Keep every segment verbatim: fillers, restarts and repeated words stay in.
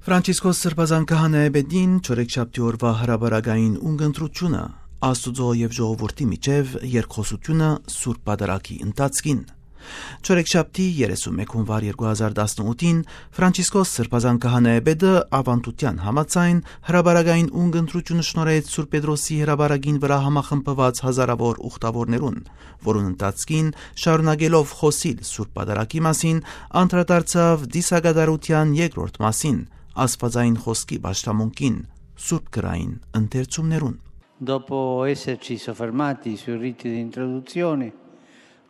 Ֆրանցիսկոս Սրբազան քահանայապետին չորեքշաբթի օրուայ հրապարակային ունկնդրութիւնը, Աստուծոյ եւ ժողովուրդի միջեւ երկխօսութիւնը Սուրբ Պատարագի ընթացքին։ Չորեքշաբթի երեսունմեկ հունուար երկու հազար տասնութին Ֆրանցիսկոս Սրբազան քահանայապետը, աւանդութեան համաձայն, հրապարակային ունկնդրութիւնը շնորհեց Սուրբ Պետրոսի հրապարակին վրայ համախմբուած հազարաւոր ուխտաւորներուն, որուն ընթացքին, շարունակելով խօսիլ Սուրբ Պատարագի մասին, անդրադարձաւ ծիսակատարութեան երկրորդ մասին, Աստուածային խօսքի պաշտամունքին, Սուրբ Գրային ընթերցումներուն։ Dopo esserci soffermati sui riti di introduzione,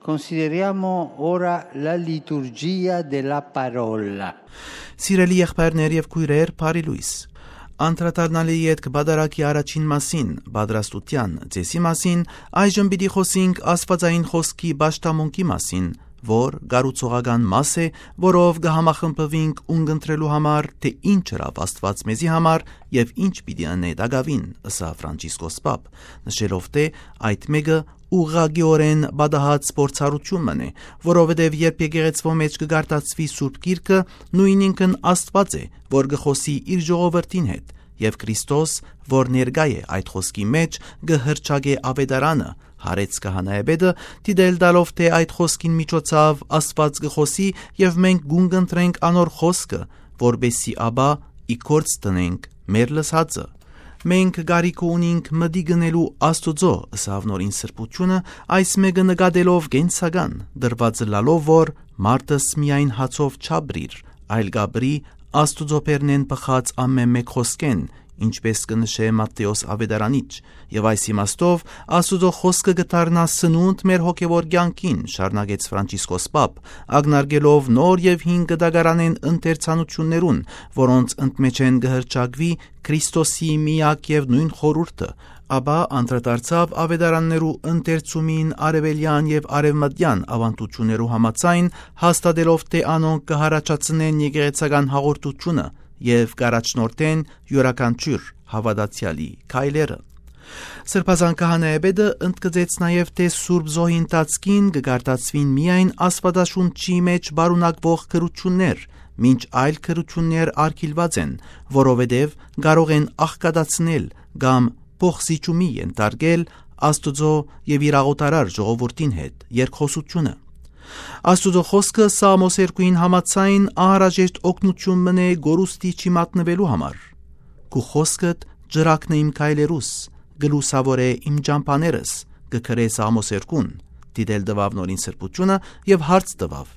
consideriamo ora la liturgia della parola. Սիրելի եղբայրներ եւ քոյրեր, բարի լոյս։ Անդրադառնալի ետք Պատարագի առաջին մասին, պատրաստութեան ծիսի մասին, այժմ պիտի խօսենք Աստուածային խօսքի պաշտամունքի մասին, որ կառուցողական մաս է, որով կը համախմբուինք ունկնդրելու համար, թէ ինչ ըրաւ Աստուած մեզի համար եւ ինչ պիտի ընէ տակաւին, ըսաւ Ֆրանցիսկոս Պապ, նշելով թէ այդ մէկը ուղղակիօրէն պատահած փորձառութիւն մըն է, որովհետեւ երբ եկեղեցւոյ մէջ կը կարդացուի Սուրբ Գիրքը, նոյնինքն Աստուած է, որ կը խօսի իր ժողովրդին հետ, եւ Քրիստոս, որ ներկայ է այդ խօսքի մէջ, կը հռչակէ աւետարանը, յարեց քահանայապետը, դիտել տալով թէ այդ խօսքին միջոցաւ Աստուած կը խօսի եւ մենք կունկնդրենք անոր խօսքը, որպէսզի ապա ի գործ դնենք մեր լսածը։ Մենք կարիքը ունինք մտիկ ընելու Աստուծոյ, ըսաւ նորին սրբութիւնը, այս մէկը նկատելով կենսական, դրուած ըլլալով որ մարդս միայն հացով չապրիր, այլ կ'ապրի Աստուծոյ բերնէն բխած ամէն մէկ խօսքէն, ինչպէս կը նշէ Մատթէոս աւետարանիչ, եւ այս իմաստով Աստուծոյ խօսքը կը դառնայ սնունդ մեր հոգեւոր կեանքին, շարունակեց Ֆրանցիսկոս Պապ, ակնարկելով նոր եւ հին կտակարանէն ընթերցանութիւններուն, որոնց ընդմէջէն կը հռչակուի Քրիստոսի միակ եւ նոյն խորհուրդը, ապա անդրադարձաւ աւետարաններու ընթերցումին արեւելեան եւ արեւմտեան աւանդութիւններու համաձայն, հաստատելով թէ անոնք կը յառաջացնեն եկեղեցական հաղորդութիւնը եւ կ'առաջնորդեն իւրաքանչիւր հաւատացեալի քայլերը։ Սրբազան քահանայապետը ընդգծեց նաեւ թէ Սուրբ Զոհի ընթացքին կը կարդացուին միայն Աստուածաշունչի մէջ պարունակուող գրութիւններ, մինչ այլ գրութիւններ արգիլուած են, որովհետեւ կարող են աղքատացնել կամ փոխզիջումի ենթարկել Աստուծոյ եւ իր աղօթարար ժողովուրդին հետ երկխօսութիւնը։ Աստուծոյ խօսքը Սաղմոս երկուին համաձայն անհրաժեշտ օգնութիւն մըն է կորուստի չմատնուելու համար։ «Քու խօսքդ ջրակն է իմ քայլերուս, կը լուսաւորէ իմ ճամբաներս», կը գրէ Սաղմոս երկուն, դիտել տուաւ նորին սրբութիւնը եւ հարց տուաւ.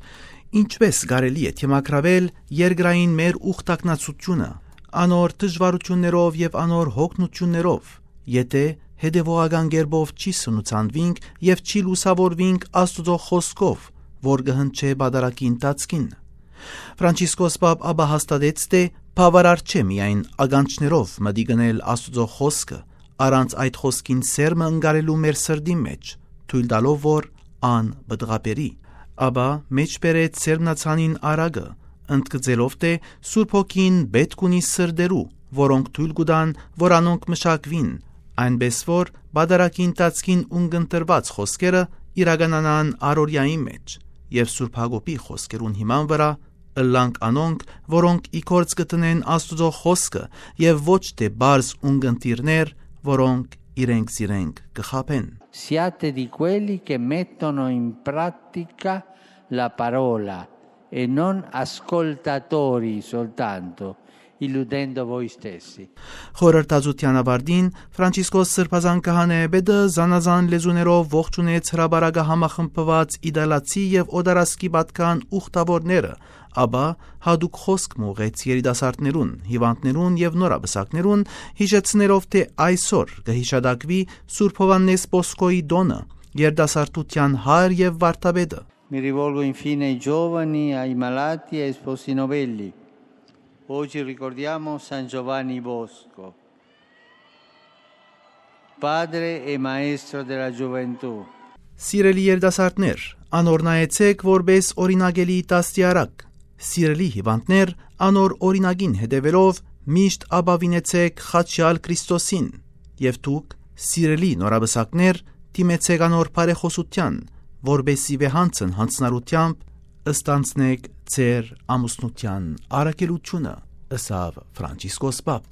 «Ինչպէս կարելի է դիմագրաւել երկրային մեր ուխտակնացութիւնը, անոր դժուարութիւններով եւ անոր յոգնութիւններով, եթէ հետեւողական կերպով չի սնուցանուինք եւ չի լուսաւորուինք Աստուծոյ խօսքով, որ կը հնչէ պատարագի ընթացքին»։ Ֆրանցիսկոս Պապ ապա հաստատեց թէ բաւարար չէ միայն ականջներով մտիկ ընել Աստուծոյ խօսքը, առանց այդ խօսքին սերմը ընկալելու մեր սրտին մէջ, թոյլ տալով որ ան պտղաբերի։ Ապա մէջբերեց սերմնացանին արագը, ընդգծելով թէ Սուրբ Հոգին պէտք ունի սրտերու, որոնք թոյլ կու տան որ անոնք մշակուին, այնպէս որ պատարագի ընթացքին ունկնդրուած խօսքերը իրականանան առօրեային մէջ, եւ Սուրբ Յակոբի խօսքերուն հիման վրայ ըլլանք անոնք, որոնք ի գործ կը դնեն Աստուծոյ խօսքը, եւ ոչ թէ պարզ ունկնդիրներ, որոնք իրենք զիրենք կը խաբեն։ Siate di quelli che mettono in pratica la parola e non ascoltatori soltanto, illudendo voi stessi. Խորհրդածության ավարտին Ֆրանցիսկոս Սրբազան քահանայապետը զանազան լեզուներով ողջունեց հրապարակը համախմբուած իտալացի եւ օտարասկի պատկան ուխտաւորները, ապա յատուկ խօսք մը ուղղեց երիտասարդներուն, հիւանդներուն եւ նորապսակներուն, յիշեցնելով թէ այսօր կը յիշատակուի Սուրբ Յովհաննէս Պոսկոյի տօնը, երիտասարդութեան հայր եւ վարդապետը։ Mi rivolgo infine ai giovani, ai malati e ai sposi novelli. Oggi ricordiamo San Giovanni Bosco, padre e maestro della gioventù. Սիրելի երիտասարդներ, անոր նայեցէք որպէս օրինակելի դաստիարակ։ Սիրելի հիւանդներ, անոր օրինակին հետեւելով միշտ ապաւինեցէք խաչեալ Քրիստոսին, եւ դուք, սիրելի նորապսակներ, դիմեցէք անոր բարեխօսութեան, որպէսզի վեհանցն յանձնառութեամբ ստանձնէք ձեր ամուսնութեան առաքելութիւնը։ ըսաւ Ֆրանցիսկոս Պապ։